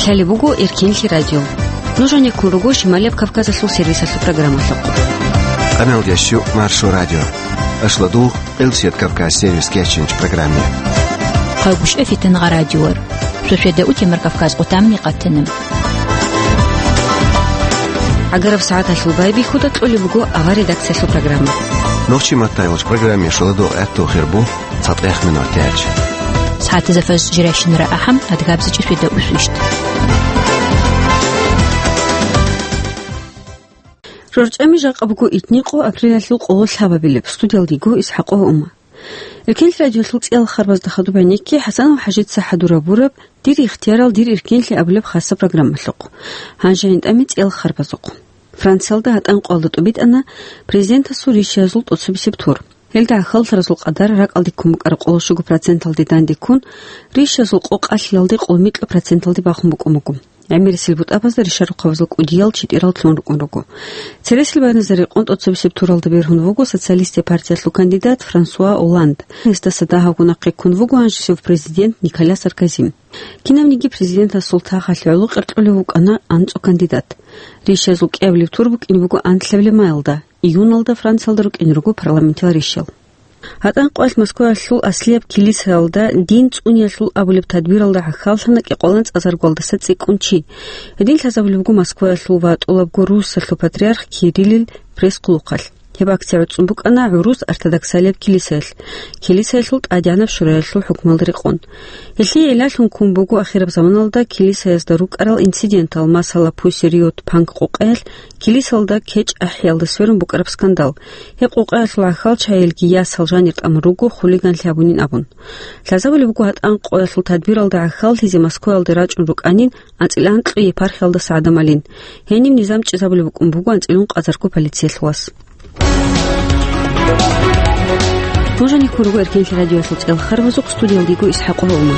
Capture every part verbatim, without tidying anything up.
Гьале буго Эркенлъи радио. Нуж гьанеккун руго Шималияб Кавказалъул сервисалъул программалъухъ. Къаналда щу Маршо радио. Ашладугъ Къилсият Кавказ сервис кеченч программе. Хъагушев Фитангъа радиор. Шошеда утемар Кавказ къутамни къатана. Агараб сагӀаталъул байбихьуда кьолеб буго авар редакциялъул программа. Нохчи маттайгъулч программе шоладугъ гӀатту хирбу. ЦатӀех минутач. СагӀатизафаз жирайщинара ахӀам, адгабзичӀи фида усвищт. ЖорчӀами жакъа буго итникъо апрелалъул къоло лъабабилеб, студиялдиго Исхакъова Ума. Эркенлъи радиолъул цӀиял харбазда хадуб гӀенекке ХӀасанов ХӀажица хӀадурабураб «Дир ихтиярал, дир эркенлъи» абулеб хасаб программалъухъ. Гьанже гьанитӀами цӀиял харбазухъ. Франциялда гьатӀанкъоялда тӀубитӀана президентасул ришаязул тӀоцебесеб тур. Гьелда гӀахьаллъаразул къадар ракӀалде ккун букӀараб къоло щуго проценталде данде ккун, ришазул къо къалъиялде къоло микьа проценталде бахун букӀун буго. ГӀемерисел бутӀабазда ришарухъабазул кӀудиял читӀирал лъун рукӀун руго. Цересел байназда рекъон тӀоцебесеб туралда бергьун вуго социалистия партиялъул кандидат Франсуа Олланд. Гьесдаса дагьабго нахъе ккун вуго гьанжесев президент Николя Саркози. Кинабниги президентасул тахалъе гӀоло кьеркьулев вукӀана анцӀу кандидат. Ришазул кӀиабилеб тур букӀин буго анлъабилеб майалда. Июналда Франциялда рукӀине руго парламентил ришал. ГьатӀанкъоялъ Москваялъул аслияб килисаялда дин цӀуниялъул абулеб тадбиралда гӀахьаллъана кӀикъоялдаса цӀикӀкӀун чи. Гьедин лъазабулеб буго Москваялъул ва тӀолабго Руссалъул патриарх Кириллил пресс-хъулухъалъ. Гьеб акция гӀуцӀун букӀана гӀурус ортодоксалияб килисаялъ, килисаялъул тӀадегӀанаб шураялъул хӀукмалда рекъон. Гьелъие гӀиллалъун ккун буго ахираб заманалда килисаязда рукӀарал инцидентал, масала, Пусси-Райот панк-къокъаялъ, килисалда кечӀ ахӀиялда сверун букӀараб скандал. Гьеб къокъаялъул гӀахьалчагӀаялги ясал жанир тӀамун руго хулиганлъи гьабунин абун. Лъазабулеб буго гьатӀанкъоялъул тадбиралда гӀахьаллъизе Москваялде рачӀун рукӀанин анцӀила анкьго епархиялдаса гӀадамалин. Гьениб низам чӀезабулеб букӀун буго анцӀила ункъазарго полициялъул вас. Нуж гьанеккун руго Эркенлъи радиоялъул цӀиял харбазухъ, студиялдиго Исхакъова Ума.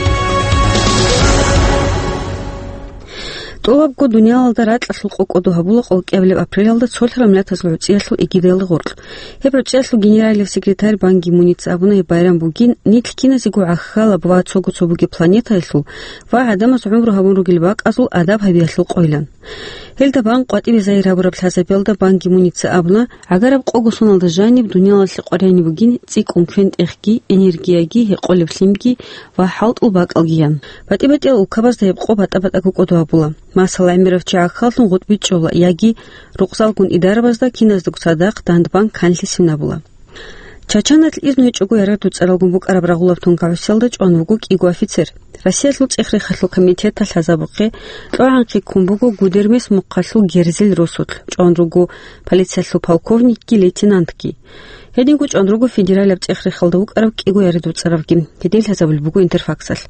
ТӀолабго дуниялалда ракьалъул къо кӀодо гьабула къолкӀиабилеб апрелалда цолъарал миллатазул гӀуцӀиялъул эгидаялда гъоркь. Гьеб гӀуцӀиялъул генералияб секретарь Бан Ги Муница абуна гьеб байрам бугин нилъ киназего гӀахьалаб ва цого-цо бугеб планетаялъул ва гӀадамаз гӀумру гьабун ругел бакӀазул адаб гьабиялъул къойилан. Гьелда бан къватӀибе загьир гьабураб лъазабиялда Бан Ги Муница абуна, гӀагараб къого соналда жаниб дуниялалъе къваригӀине бугин цӀикӀкӀун квен-тӀехги, энергияги, гьекъолеб лъимги ва хӀалтӀул бакӀалги ян. БатӀи-батӀиял улкабазда гьеб къо батӀа-батӀаго кӀодо гьабула. Масала, гӀемерав чи гӀахьаллъун гъутӀби чӀола яги рукъзалгун идарабазда киназдаго цадахъ дандбан канлъи свинабула. Чачаналъ изну гьечӀого яргъи дуцӀаралгун букӀараб рагъулаб тункагӀусиялда чӀван вуго кӀиго офицер. Россиялъул цӀех-рехалъул комитеталъ лъазабухъе кьогӀанхъи ккун буго Гудермес мухъалъул герзил росулъ, чӀван руго полициялъул полковникги лейтенантги. Гьединго чӀван руго федералияб цӀех-рехалда вукӀарав кӀиго яргъи дуцӀаравги. Гьедин лъазабулеб буго Интерфаксалъ.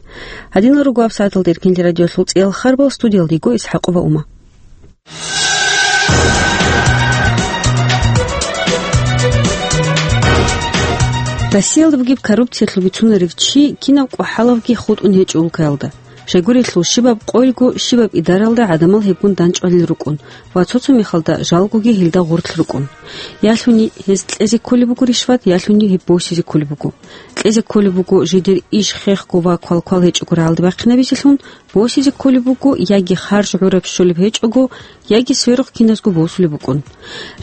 Гьадинал руго гьабсагӀаталда Эркенлъи радиоялъул цӀиял харбал, студиялдиго Исхакъова Ума. Россиялда бугеб коррупциялъул бицунарев чи кинаб кӀвахӀалавги хутӀун гьечӀо улкаялда. Щайгурелъул щибаб къойго, щибаб идаралда гӀадамал гьебгун данчӀвалел рукӀун ва цо-цо мехалда жалгоги гьелда гъорлъ рукӀун. Ялъуни гьез кьезе кколеб буго ришват, ялъуни гьеб босизе кколеб буго. Кьезе кколеб буго жидер иш хехго ва квалквал гьечӀого рагӀалде бахъинабизелъун, босизе кколеб буго яги харж гӀураб щолеб гьечӀого, яги сверухъ киназго босулеб букӀун.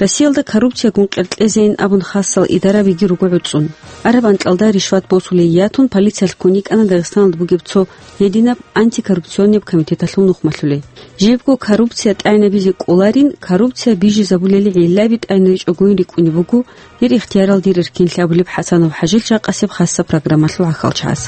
Россиялда коррупциягун къеркьезейин абун хасал идарабиги руго гӀуцӀун. Араб анкьалда ришват босулей ятун полициялъ ккун йикӀана Дагъистаналда бугеб цо гьединаб антикоррупционнияб комитеталъул нухмалъулей. Жибго коррупция тӀайнабизе кӀоларин, коррупция бижизабулели гӀиллаби тӀайнаричӀогойин рикӀкӀунеб буго, дир ихтиярал, дир эркенлъи абулеб ХӀасанов ХӀажил жакъасеб хасаб программалъул гӀахьалчагӀаз.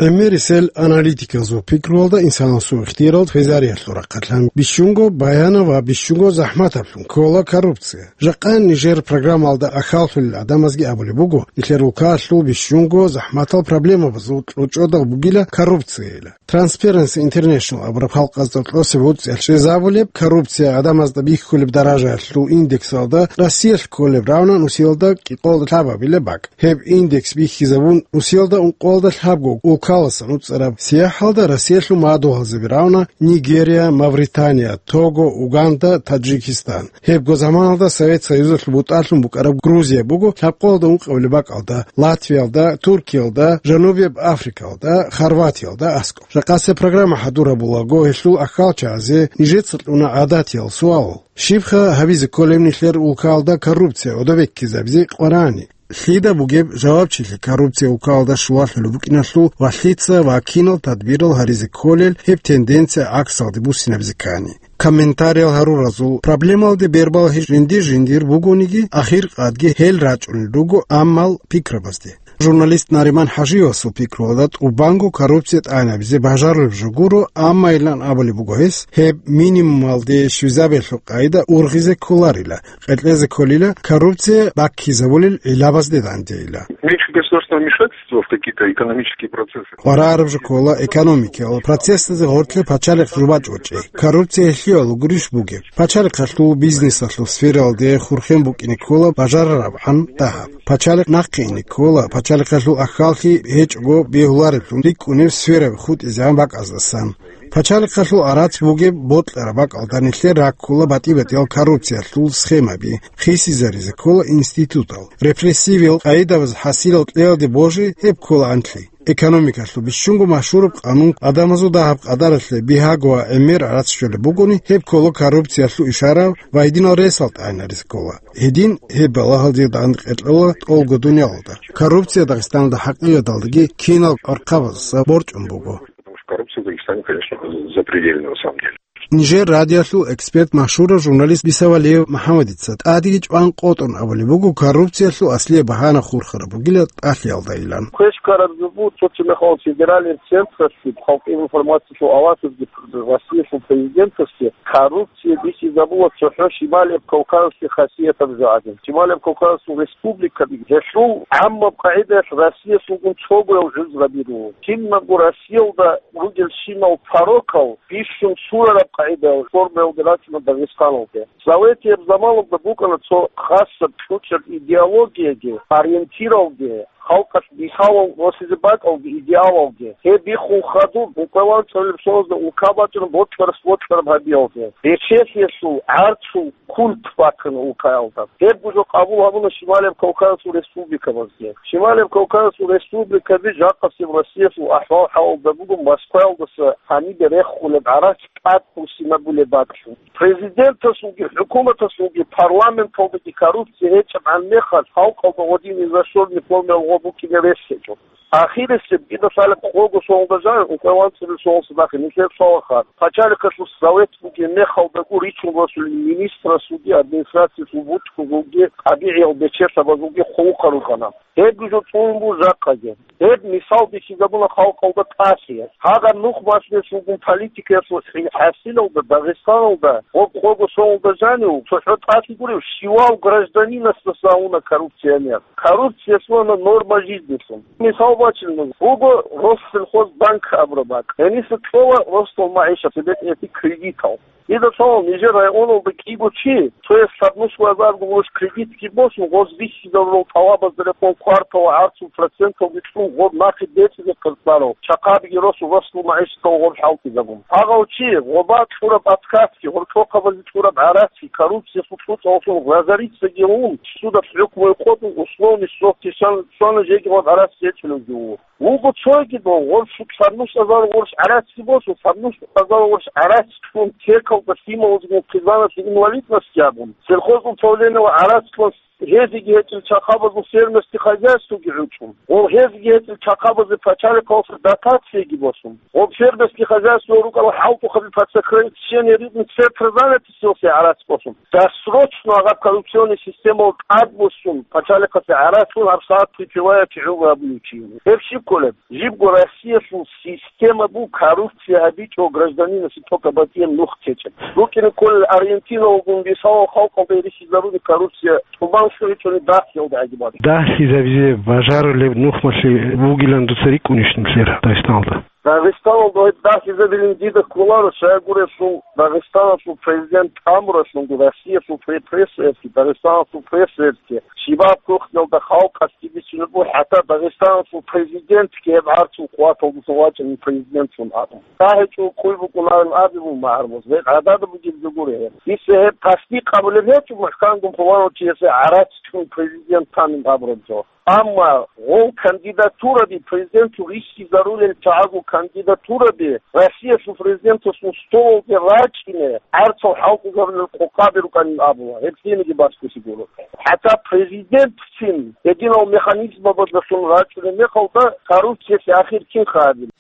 ГӀемерисел аналитикалзул пикруялда инсанасул ихтиярал хвезариялъул рахъалъан бищунго баянав ва бищунго захӀматаблъун ккола коррупция. Жакъа нижер программалда ахьаллъулел гӀадамазги абулеб буго, нилъер улкаялъул бищунго захӀматал проблемабазул кьучӀодал бугила коррупцияйила. Transparency International абураб халкъазда кьосеб гӀуцӀиялъ щвезабулеб, коррупция гӀадамазда бихьулеб даражаялъул индексалда Россиялъ кколеб равна нусиялда кӀикъоялда лъабабилеб бакӀ. Гьеб индекс бихьизабун, нусиялда ункъоялда лъабго улка Халасан уцӀараб сияхӀалда Россиялъул мадугьалзаби равна Нигерия, Мавритания, Того, Уганда, Таджикистан. Гьебго заманалда Совет Союзалъул бутӀалъун букӀараб Грузия буго лъабкъоялда ункъабилеб бакӀалда, Латвиялда, Туркиялда, Жанубияб Африкаялда, Хорватиялда аскӀоб. Жакъасеб программа хӀадур гьабулаго, гьелъул ахьалчагӀазе нижеца кьуна гӀадатиял суал: щибха гьабизе кколеб нилъер улкаялда коррупция гӀодобеккизабизе къварани? Лъида бугеб жавабчилъи коррупция улкаялда щулалъулеб букӀиналъул ва лъица ва кинал тадбирал гьаризе кколел гьеб тенденция гӀаксалде буссинабизе ккани? Комментариял гьаруразул проблемалде бербал гьечӀ жиндир-жиндир бугониги, ахиркъадги гьел рачӀунел руго аммал пикрабазде. Журналист Нариман ХӀажиевасул пикруялда, тӀубанго коррупция тӀагӀинабизе бажарулеб жо гуро, аммайилан абулеб буго гьес, гьеб минимумалде щвезабиялъул къайда ургъизе кколарила, къеркьезе кколила, коррупция баккизабулел гӀилабазде дандейила. Меньше государственного вмешательства в какие-то экономические процессы. КъваригӀараб жо ккола экономикиял процессазе гъорлъе пачалихъ жубачӀ гьечӀей. Коррупция гьелъиялъул гурищ бугеб? Пачалихъалъул бизнесалъул сфералде хурхен букӀине ккола бажарарабгӀан дагьаб. Пачалихъ нахъе ине ккола, пачалихъалъул ахьаллъи гьечӀого бегьулареблъун рикӀкӀунеб сфераби хутӀизегӀан бакӀаздасан. Пачалихъалъул гӀарац бугеб бокьараб бакӀалда нилъер раккула батӀи-батӀиял коррупциялъул схемаби, хисизаризе ккола институтал. Репрессивиял къайдабаз хӀасилал кьеялде божи гьеб ккола анлъи. Экономикалъул бищунго машгьураб къанун, адамазул дагьаб къадаралъе бигьаго ва гӀемер гӀарац щолеб бугони, гьеб ккола коррупциялъул ишара ва гьединал ресал тӀагӀинаризе ккола. Гьедин гьеб балагьалде данде къеркьола тӀолго дуниялалда. Коррупция Дагъистаналда хӀакъикъаталдаги кинал гӀурхъабаздаса борчӀун буго. Потому что коррупция в Дагестане, конечно, запредельная на самом деле. Нижер радиоялъул эксперт, машгьурав журналист Биса Валиев МухӀаммадица тӀадеги чӀван къотӀун абулеб буго коррупциялъул аслияб багьана хурхараб бугила тӀалъиялдайилан. Квеш ккараб жо буго, цо-цо мехалъ федеральный централъги, халкъи информациялъул авазалъги, Россиялъул президенталъги коррупция бихьизабула цохӀо Шималияб Кавказалъе хасиятаб жо гӀадин. Шималияб Кавказалъул республикаби гьелъул гӀаммаб къагӀидаялъ Россиялъулгун цогояв жуз гьабирула. Кинабго Россиялда ругелщинал порокал бищун сурараб къагӀидаялъ формаялде рачӀуна Дагъистаналде. Советияб заманалда букӀана цо хасаб кьучӀаб идеологияги, ориентиралги, халкъалъ бихьалал росизе бакӀалги идеалалги. Гьеб биххун хадуб, ункъоялда анцӀабилеб соналда улка бачӀана бокьарас бокьараб гьабиялде. Бечелъиялъул, гӀарцул культ бахъана улкаялда. Гьеб гужо къабул гьабуна Шималияб Кавказалъул республикабазги. Шималияб Кавказалъул республикаби жакъасеб Россиялъул ахӀвал-хӀалалда буго Москваялдаса гьанибе рехулеб гӀарац тӀад буссинабулеб бакӀлъун. Президентасулги, хӀукуматасулги, парламенталдаги коррупция гьечӀебгӀан мехалъ, халкъалда гъодин иза-щорни формаялъ гъо букӀине рес гьечӀо. Ахирисеб, дида лъалеб къого соналда жанив, ункъоялда анцӀабилеб соналдаса нахъе, нилъер цо вахъа. Пачалихъалъул совет бугеб мехалдаго ричун росулел министрасулги, администрациялъул бутӀрулги, тӀабигӀиял бечелъабазулги хъулухъа рукӀана. Гьеб жо цӀунулеб жакъаги. Гьеб мисал бихьизабуна халкъалда тӀалъи. Гьагъаб нух малъиялъулгун политикаялъул хӀи-, хӀасилалда Дагъистаналда гъоб къого соналда жанив цохӀо тӀалъи гурев щивав гражданинасдаса гьавуна коррупция мер. Коррупция лъугьана норма жизнилъун. Мисал бачилан, буго Россельхозбанк абураб бакӀ. Гьениса кьола Россельхозмаиша цебетӀеги кредитал. Дида цо нижер районалда кӀиго чи, цояс лъабнус азарго гъурущ кредитги босун, гъоз бихьизарурал тӀалабазда рекъон кварталалда гӀарцул проценталги кьун, гъоб нахъе бецӀизе къеркьарав, чахъабиги росун, Россельхозмаишаталда гъоб хӀалтӀизабун. Гьагъав чи гъоба кьураб откатги, гъоркьохъабазе кьураб гӀарацги, коррупциялъул цӀуцӀаллъун разориться гьавун, судалъ хӀукму къотӀун, условный срокги щван-, щвана, жеги гъоб гӀарац гьечӀолевги вуго. Вуго цоги дов, гъорщу царнус азар гъорщ гӀарацги босун, царнус азар гъорщ гӀарац кьун, текалда лъималазгун хъизаналъе инвалидность абун, сельхозуправлениялда гӀарац кьун, гьезиги гьечӀел чахъабазул фермерский хозяйствоги гӀучӀун, гъо гьезиги гьечӀел чахъабазе пачалихъалъуса дотацияги босун, гъо фермерский хозяйство рукӀарал хӀалтӀухъаби под сокрытие рыбных центров занятости гӀарац босун. Досрочно гьаб коррупционный системалда тӀадбуссун, пачалихъасе гӀарац кьун гьабсагӀат припевая чӀужугӀун абулев чи. Гьеб щиб кколеб? Жибго Россиялъул система буго коррупция гьабичӀо гражданинасе тӀокӀаб батӀияб нух течӀеб. РукӀине кколел Аргентинаялгун бисалал халкъалда рихьизаруни коррупция тӀубан щвечӀони дагьлъиялда гӀадиб. Дагьлъизабизе бажарулеб нух малъи бугилан дуца рикӀкӀунищ нилъер Дагъистаналда? Дагъистаналда гьеб дагьизабилин дида кколаро, щайгурелъул Дагъистаналъул президент амуралъунги Россиялъул пре-, прессаялъги, Дагъистаналъул прессаялъги, щибаб кухнялда халкъалъги бицунеб буго, хӀатта Дагъистаналъул президентги гьеб гӀарцул къуваталдасан вачӀани президентлъун абун. ТӀагьичӀого ккун букӀунарин абе буго магӀарулас, гьеб гӀадада бугеб жо гури гьеб. Дица гьеб тасдикъ гьабулеб гьечӀо, махкангун пуланав чиясе гӀарац чӀун президент танин абураб жо. Амма гъол кандидатураби, президентлъун рихьизарулел чагӀазул кандидатураби Россиялъул президентасул столалде рачӀине гӀарцал хӀалтӀизарулел къокъаби рукӀанин абула, гьеб лъиениги баскулъи гуро. ХӀатта президентцин гьединал механизмабаздалъун рачӀунеб мехалда коррупциясе ахир кин хадин?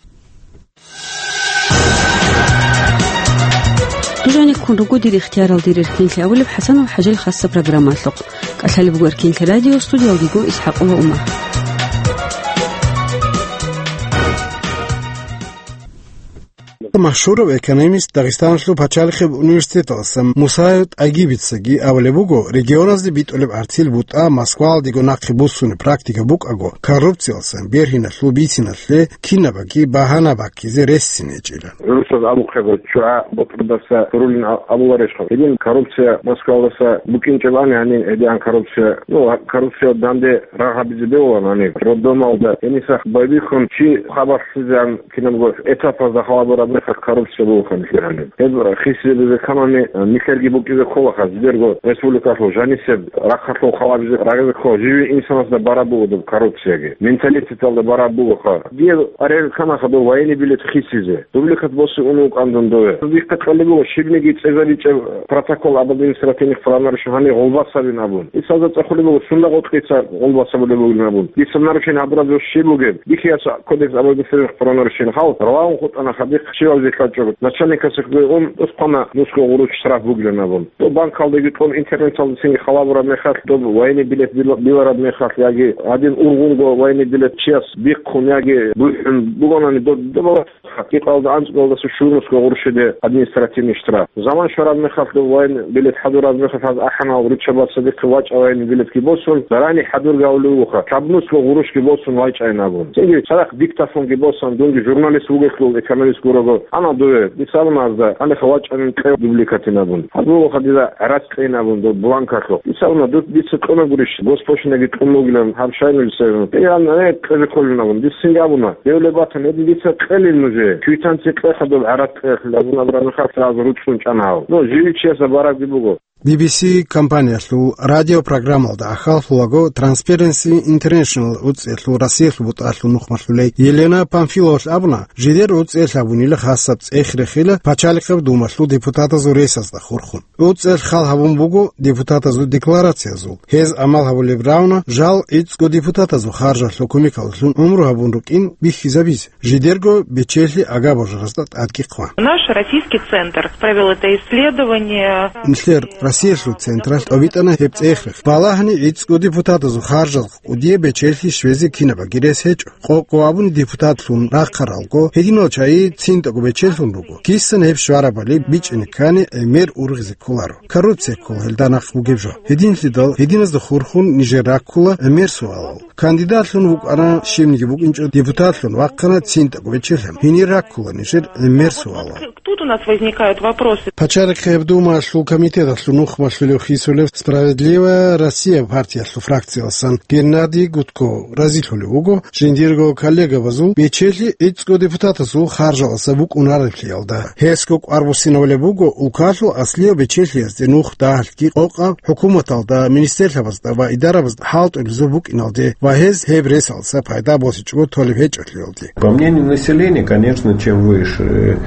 Дужаниккун руго дир ихтиярал дир эркинлъи абулеб ХӀасанов ХӀажил хасса программалъухъ. КӀалъалеб буго эркинлъи радио, студиялдего ИсхӀакъова Умар. Машгьурав экономист, Дагъистаналъул пачалихъеб университеталдаса Мусаев ТӀагибицаги абулеб буго, регионазде битӀулеб гӀарцил бутӀа Москваялдего нахъе буссунеб практика букӀаго, коррупциялдасан бергьиналъул бициналъе кинабаги багьана баккизе рес цин гьечӀила. ГӀурусаз абухъего, чугӀа бутӀрудаса рулин а-, абуларищха? Гьедин коррупция Москвалдаса букӀинчӀебани гьанин гьедигӀан коррупция? Ну, коррупция данде рагъ гьабизе бегьулаан гьаниб. Роддомалда гьениса байбихьун чи хабар лъизегӀан кинабго этапазда халабураб мехалъ коррупция бугоха нилъер гьаниб. Гьеб хисизабизе камани нилъерги букӀизе кколаха, жидерго республикалъул жанисеб рахъалъул халабизе рагъизе ккола, живе инсанасда бараб буго доб коррупцияги, менталитеталда бараб бугоха. Дие арел канаха дов военный билет хисизе. Дубликат босе ун вукӀан дун дове. Дихъе кьолеб буго, щибниги цӀезабичӀеб протокол об административных правонарушениях гьанир гъолбас гьабин абун. Исалда цӀехулеб буго, сунда гъоркьица гъолбас гьабулеб бугин абун. Дица нарушение гьабураб жо щиб бугеб? Дихъе яса кодекс об административных правонарушениях гьал равагьун хутӀана хадихъ щиваб зе кьачӀого. Начальникасухъе ун тӀоскъана нусго гъурущ штраф бугилан абун. Доб банкалдаги кьун, интернеталдасинги халабураб мехалъ, доб военный билет била-, билараб мехалъ, яги гьадин ургъунго военный билет чияс бихъун яги бухӀун бугонани, доб, доб Гьакъикъалда анцӀгоялдаса щурнусго гъурущиде административный штраф. Заман щвараб мехалъ, дов военный билет хӀадураб мехалъ, гьаз ахӀанал руччабаца дихъе вачӀа военный билетги босун, зарани хӀадурги гьавулев вуха, кабнусго гъурущги босун вачӀайин абун. Цинги цадахъ диктофонги босан, дунги журналист вугелъул, экономист гурого, ана дове, дица абуна гьазда, гьанихъа вачӀанин кьев дубликатин абун. Гьаз вугоха дида гӀарац кьейин абун дов бланкалъухъ. Дица абуна, ду-, дица кьуна гурищ, госпошлинаги кьун бугилан, гьаб щай нужеца абун. Гьей, гьанна, э, кьезе кколин абун. Дица цинги абуна, Девлебатан, гьедин дица кьелин нужее, квитанция кьеха доб гӀарац кьеялъул абун абураб мехалъ гьаз руцӀцӀун чӀана гьав. Но живичиясда барабги буго. Би би си компаниялъул радиопрограммалда ахаллъулаго Transparency International гӀуцӀиялъул Россиялъул бутӀалъул нухмалъулей Елена Памфиловалъ абуна, жидер гӀуцӀиялъ гьабунила хасаб цӀех-рехила пачалихъаб думалъул депутатазул ресазда хурхун. ГӀуцӀел хал гьабун буго депутатазул декларациязул. Гьез амал гьабулеб равна, жал гӀицӀго депутатазул харжалъул кумекалдалъун гӀумру гьабун рукӀин бихьизабизе, жидерго бечелъи агабожаразда тӀадги хъван. Наш российский центр провел это исследование. Нилъер Россиялъул централъ тӀобитӀана гьеб цӀех-рех. Балагьани гӀицӀго депутатазул харжал кӀудияб бечелъи щвезе кинабаги рес гьечӀо. Къо-къо абуни депутатлъун рахъаралго, гьединал чагӀи цинтӀаго бечелъун руго. Кисан гьеб щварабали бичӀчӀине ккани, гӀемер ургъизе кколаро. Коррупция ккола гьелда нахъ бугеб жо. Гьединлъидал гьединазда хурхун нижер раккула гӀемер суалал. Кандидатлъун вукӀана, щибниги букӀинчӀо депутатлъун вахъана цинтӀаго бечелъан. Гьенир раккула нижер гӀемер суалал. Тут у нас возникают вопросы. Пачалихъеб Думаялъул комитеталъул нухмалъулев хисулев «Справедливая Россия» партиялъул фракцияласан Геннадий Гудков разилъулев вуго, жиндирго коллегабазул бечелъи гӀицӀго депутатазул харжаласа букӀунареблъиялда. Гьесго кӀвар буссинабулеб буго улкалъул аслияб бечелъиязде нух дагьалъги къокъаб хӀукуматалда, министерлъабазда ва идарабазда хӀалтӀулезул букӀиналде ва гьез гьеб ресалса пайда босичӀого толеб гьечӀолъиялде. По мнению населения, конечно, чем выше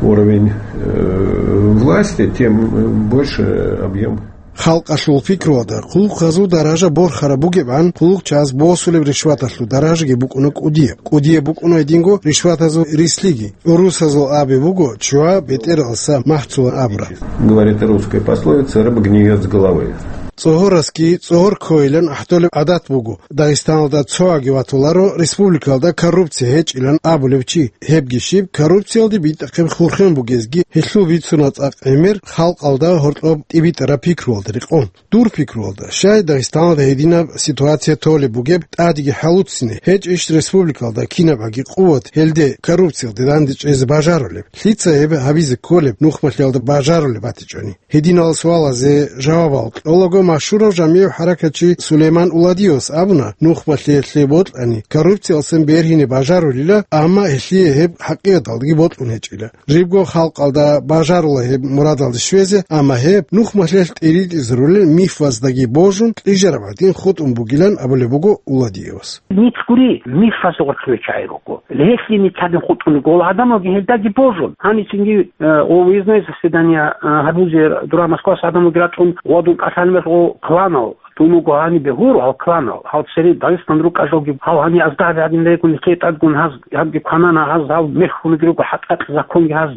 уровень, э, власти, тем, э, больше объем. Халкъалъул пикруялда, хъулухъазул даража борхараб бугебгӀан, хъулухъчияс босулеб ришваталъул даражаги букӀуна кӀудияб. КӀудияб букӀуна гьединго ришватазул рислъиги. ГӀурусазул абе буго, чугӀа бетӀералдаса махцулан абураб. Говорит русская пословица: «Рыба гниет с головы». цӀогьорасги цӀогьор ккойилан ахӀдолеб гӀадат буго. Дагъистаналда цоги ватуларо республикалда коррупция гьечӀилан абулев чи. Гьебги щиб, коррупциялде битӀахъеб хурхен бугезги гьелъул бицуна цӀакъ гӀемер, халкъалда гьоркьоб тӀибитӀараб пикруялда рекъон. Дур пикруялда, щай Дагъистаналда гьединаб ситуация толеб бугеб тӀадеги хӀалуцине, гьечӀищ республикалда кинабгӀаги къуват гьелде коррупциялде дандечӀезе бажарулеб? Лъица гьеб гьабизе кколеб нухмалъиялда бажарулеб батичӀони? Гьединал суалазе жавабал кьолаго машгьурав жамигӀ хӀаракатчи Сулейман Уладиевас абуна, нухмалъиялъе бокьани, коррупциялдасан бергьине бажарулила, амма гьелъие гьеб хӀакъикъаталдаги бокьун гьечӀила. Жибго халкъалда бажарула гьеб мурадалде щвезе, амма гьеб нухмалъиялъ тӀиритӀизарулел мифаздаги божун, кьижараб гӀадин хутӀун бугилан абулеб буго Уладиевас. Нилъ гури, мифаз гъоркье чагӀи руго. Гьелъие нилъ гьадин хутӀун руго. Гьел гӀадамалги гьелдаги божун. Гьанисинги, э, о, выездное заседание, э, гьабузе дура Москваялъ гӀадамалги рачӀун, гъодун кӀалъан мехго кланал, дун вуго гьанибе гьур, гьал кланал, гьал цере Дагъистан рукӀа жалги, гьал гьаниб азда гьаб гьадин регун, нилъее тӀадгун гьаз, гьабги кванана гьаз, гьал мехгун руго хӀатӀакь законги гьаз,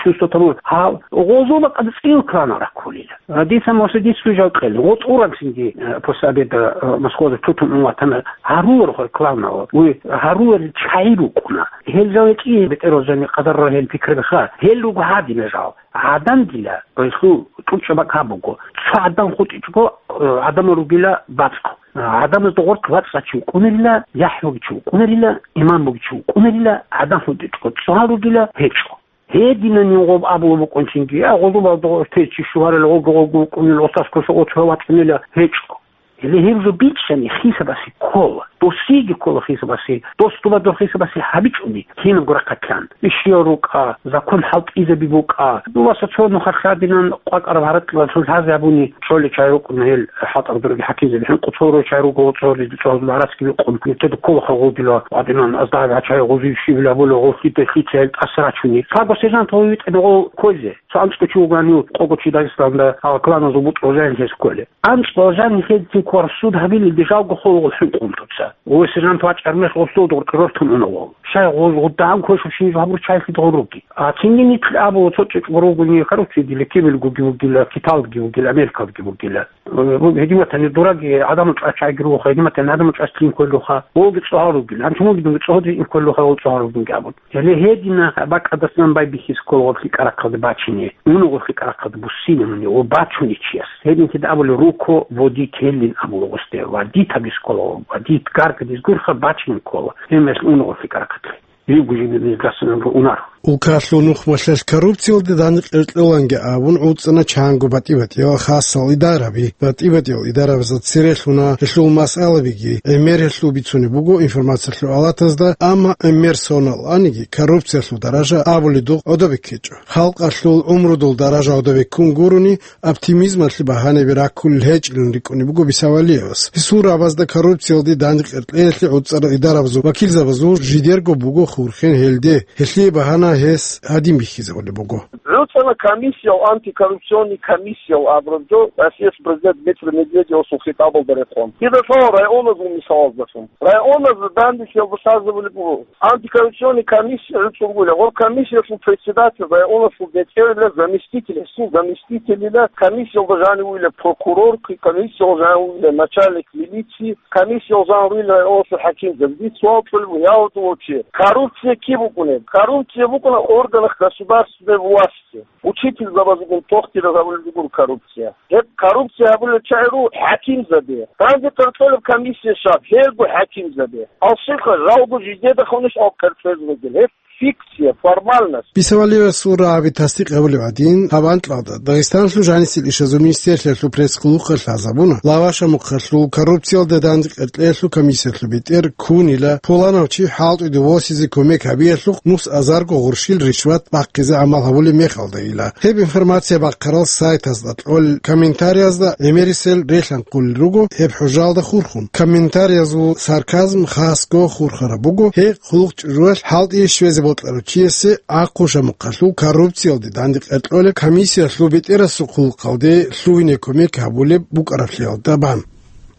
чувство того, гьал гъозул бакӀалда цӀил кланал раккулила. Дица Мосе дицу жал кьел. ГъотӀ урамсинги, э, после обеда, э, Москваялда тутун ун ватана гьаруларо хъвай кланал. Уй гьаруларел чагӀи рукӀуна. Гьел жал гьечӀи бетӀерал жани къадарра гьел пикрабиха. Гьел руго гьадина жал. ГӀадан дила, гьелъул тӀучӀаб бакӀ гьаб буго. Цо гӀадан хутӀичӀого, э, гӀадамал ругила бацӀцӀ. ГӀадамазда гъоркь вацӀцӀа чи вукӀунарила, яхӀ буги чи вукӀунарила, имам буги чи вукӀунарила, гӀадан хутӀичӀого цӀа ругила гьечӀо. Гьединани гъоб абулеб букӀунчинги, я гъозубалда гъо-, те чи щугьарал гъого-гъого вукӀунел, гъосас квеша гъо-, цо вачӀунела гьечӀо. Гьеле гьеб жо бичӀчӀани хисабасе ккола. Досиеги ккола хисабасе. Дос тӀубадур хисабасе гьабичӀони, кинабго рахъалъан. Ишиял рукӀа, закон хӀалтӀизаби букӀа. Дуласа цо нухалъ гьадинан къвакӀараб гьаракьалъул лъазе гьабуни, чӀоле чай рукӀуна гьел хӀалтӀараб дураги хӀакимзаби. ХӀинкъу цо рой чай руго, цо ри-, цо гьарацги бикъун. Нилъеда ккола хъа гъудила, гьадинан азда гьаб чай гъузив щибила була, гъов лъида лъица гьел тӀаса рачуни. Лъабго сержант гъов витӀана гъов ккойзе. Цо анцӀго чи вугани, къого чи Дагъистанда, гьал кланазул бутӀрул жанихьес кколе. АнцӀго жанихьедин квар суд гьабилелде жалго холгъул хӀинкъун туца. Гъов сержант вачӀар мехалъ гъосул дуркъи рортун уна гъов. Щай гъоз гъудагӀан квешаб щинаб гьабур чайхъид гъов руги. А цинги нилъ абула цо чӀечӀ гъорогуни, короче, дила кибелгоги вугила, Киталги вугила, Америкалги вугила. Э, гьедиматани дураги гӀадамал чӀвачайги руха, гьедиматани гӀадамал чӀваслъин кколлъуха, волги цӀогьал ругила. Анчумуги дунги цӀогьал рикӀин кколлъуха, вол цӀогьал ругдунги абун. Гьеле гьедина бакӀадасан байбихьизе ккола гъорлъи карахъалде бачине, муну гъорлъи карахъалде буссине муни ва бачуни чияс. Гьединлъидал абули руко водителлин абула гъосде, водить абиз ккола, водить гаргадиз гурха бачине ккола. Гьемерс уну гъорлъи карахъалде. Ригу жибе безгасан унар. Улкалъул нухмалъалъ коррупциялде дандекъер кьоланги абун гӀуцӀана чанго батӀи-батӀиял хасал идараби. БатӀи-батӀиял идарабазда церелъуна гьелъул масъалабиги, гӀемер гьелъул бицунеб буго информациялъул алатазда, амма гӀемер соналаниги коррупциялъул даража абуледухъ гӀодобе ккечӀо. Халкъалъул гӀумрудул даража гӀодобе ккун гурони, оптимизмалъе багьанаби раккулел гьечӀилан рикӀкӀунеб буго Бисавалиевас. Гьесул рагӀабазда коррупциялде дандекъер кьеялъе гӀуцӀарал идарабазул вакилзабазул жидерго буго хурхен гьелде, гьелъие багьана гьес гьадин бихьизабулеб буго. ГӀуцӀана комиссиял, антикоррупционный комиссиял абураб жо, Россияс президент Дмитрий Медведевасул хитӀабалда рекъон. Кида лъала районазул мисалаздалъун. Районазда дандихьиялда лъазабулеб буго. Антикоррупционный комиссия гӀуцӀунгула. Гъо комиссиялъул председатель районалъул бетӀерила заместитель, гьесул заместителила комиссиялда жанивуйла прокурор, комиссиялда жанивуйла начальник милиции, комиссиялда жанивуйла районалъул хӀакимзаб. Дир суал кьолеб буго, я гьудулав чи, коррупция киб букӀунеб? Коррупция букӀуна органах государственной власти. Учительзабазулгун тохтида гьабулеб буго коррупция. Гьеб коррупция гьабулел чагӀи руго хӀакимзаби. Данде къеркьолеб комиссия щаб, гьелго хӀакимзаби. Алсилха жалго жидеда хуниш ал къеркьезе бугел. Гьеб фикция, формальность. Бисавалиевасул рагӀаби тасдикъ гьабулеб гӀадин, гьаб анкьалда Дагъистаналъул жанисел ишазул министерствоялъул пресс-къуллукъалъ лъазабуна, Лавашамухъалъул коррупциялде дандекъер кьеялъул комиссиялъул бетӀер ккунила, пуланав чи хӀалтӀиде восизе кумек гьабиялъухъ нус азарго гъурщил ришват бахъизе гӀамал гьабулеб мехалдайила. Гьеб информация бахъарал сайтазда кьолел комментариязда гӀемерисел релъанхъулел руго гьеб хӀужалда хурхун. Комментариязул сарказм хасго хурхараб буго, гьеб хъулухъ чӀужуялъ хӀалтӀие щвезе бокьарав чиясе Ахъушамухъалъул коррупциялде дандекъер кьолеб комиссиялъул бетӀерасул хъулухъалде лъугьине кумек гьабулеб букӀараблъиялда бан.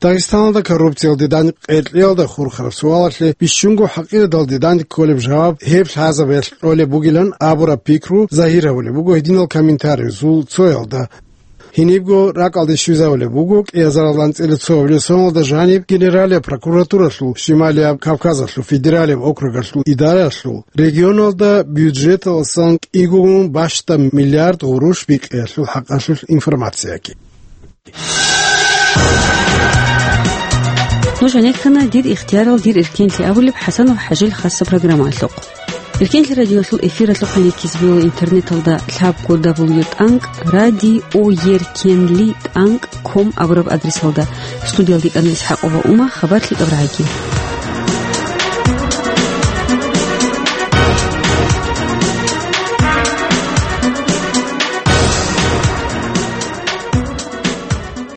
Дагъистаналда коррупциялде дандекъер кьеялда хурхараб суалалъе бищунго хӀакъикъаталде данде кколеб жаваб гьеб лъазабиялъ кьолеб бугилан абураб пикру загьир гьабулеб буго гьединал комментариязул цоялда. Гьенибго ракӀалде щвезавулеб буго кӀиазаралда анцӀила цоабилеб соналда жаниб Генералияб прокуратуралъул, Шималияб Кавказалъул федералияб округалъул идаралъул, регионалда бюджеталдасан кӀигун бащдаб миллиард гъурущ бикьиялъул хӀакъалъулъ информацияги. Нуж гьанеккана «Дир ихтиярал, дир эркенлъи» абулеб ХӀасанов ХӀажил хасса программаялъухъ. Эркенлъи радиоялъул эфиралъухъ гьанеккизе бегьула интернеталда лъабго дабл ю тӀанкӀ радио еркенли тӀанкӀ ком абураб адресалда. Студиялда йикӀана ИсхӀакъова Ума, хабар лъикӀаб рагӀаги.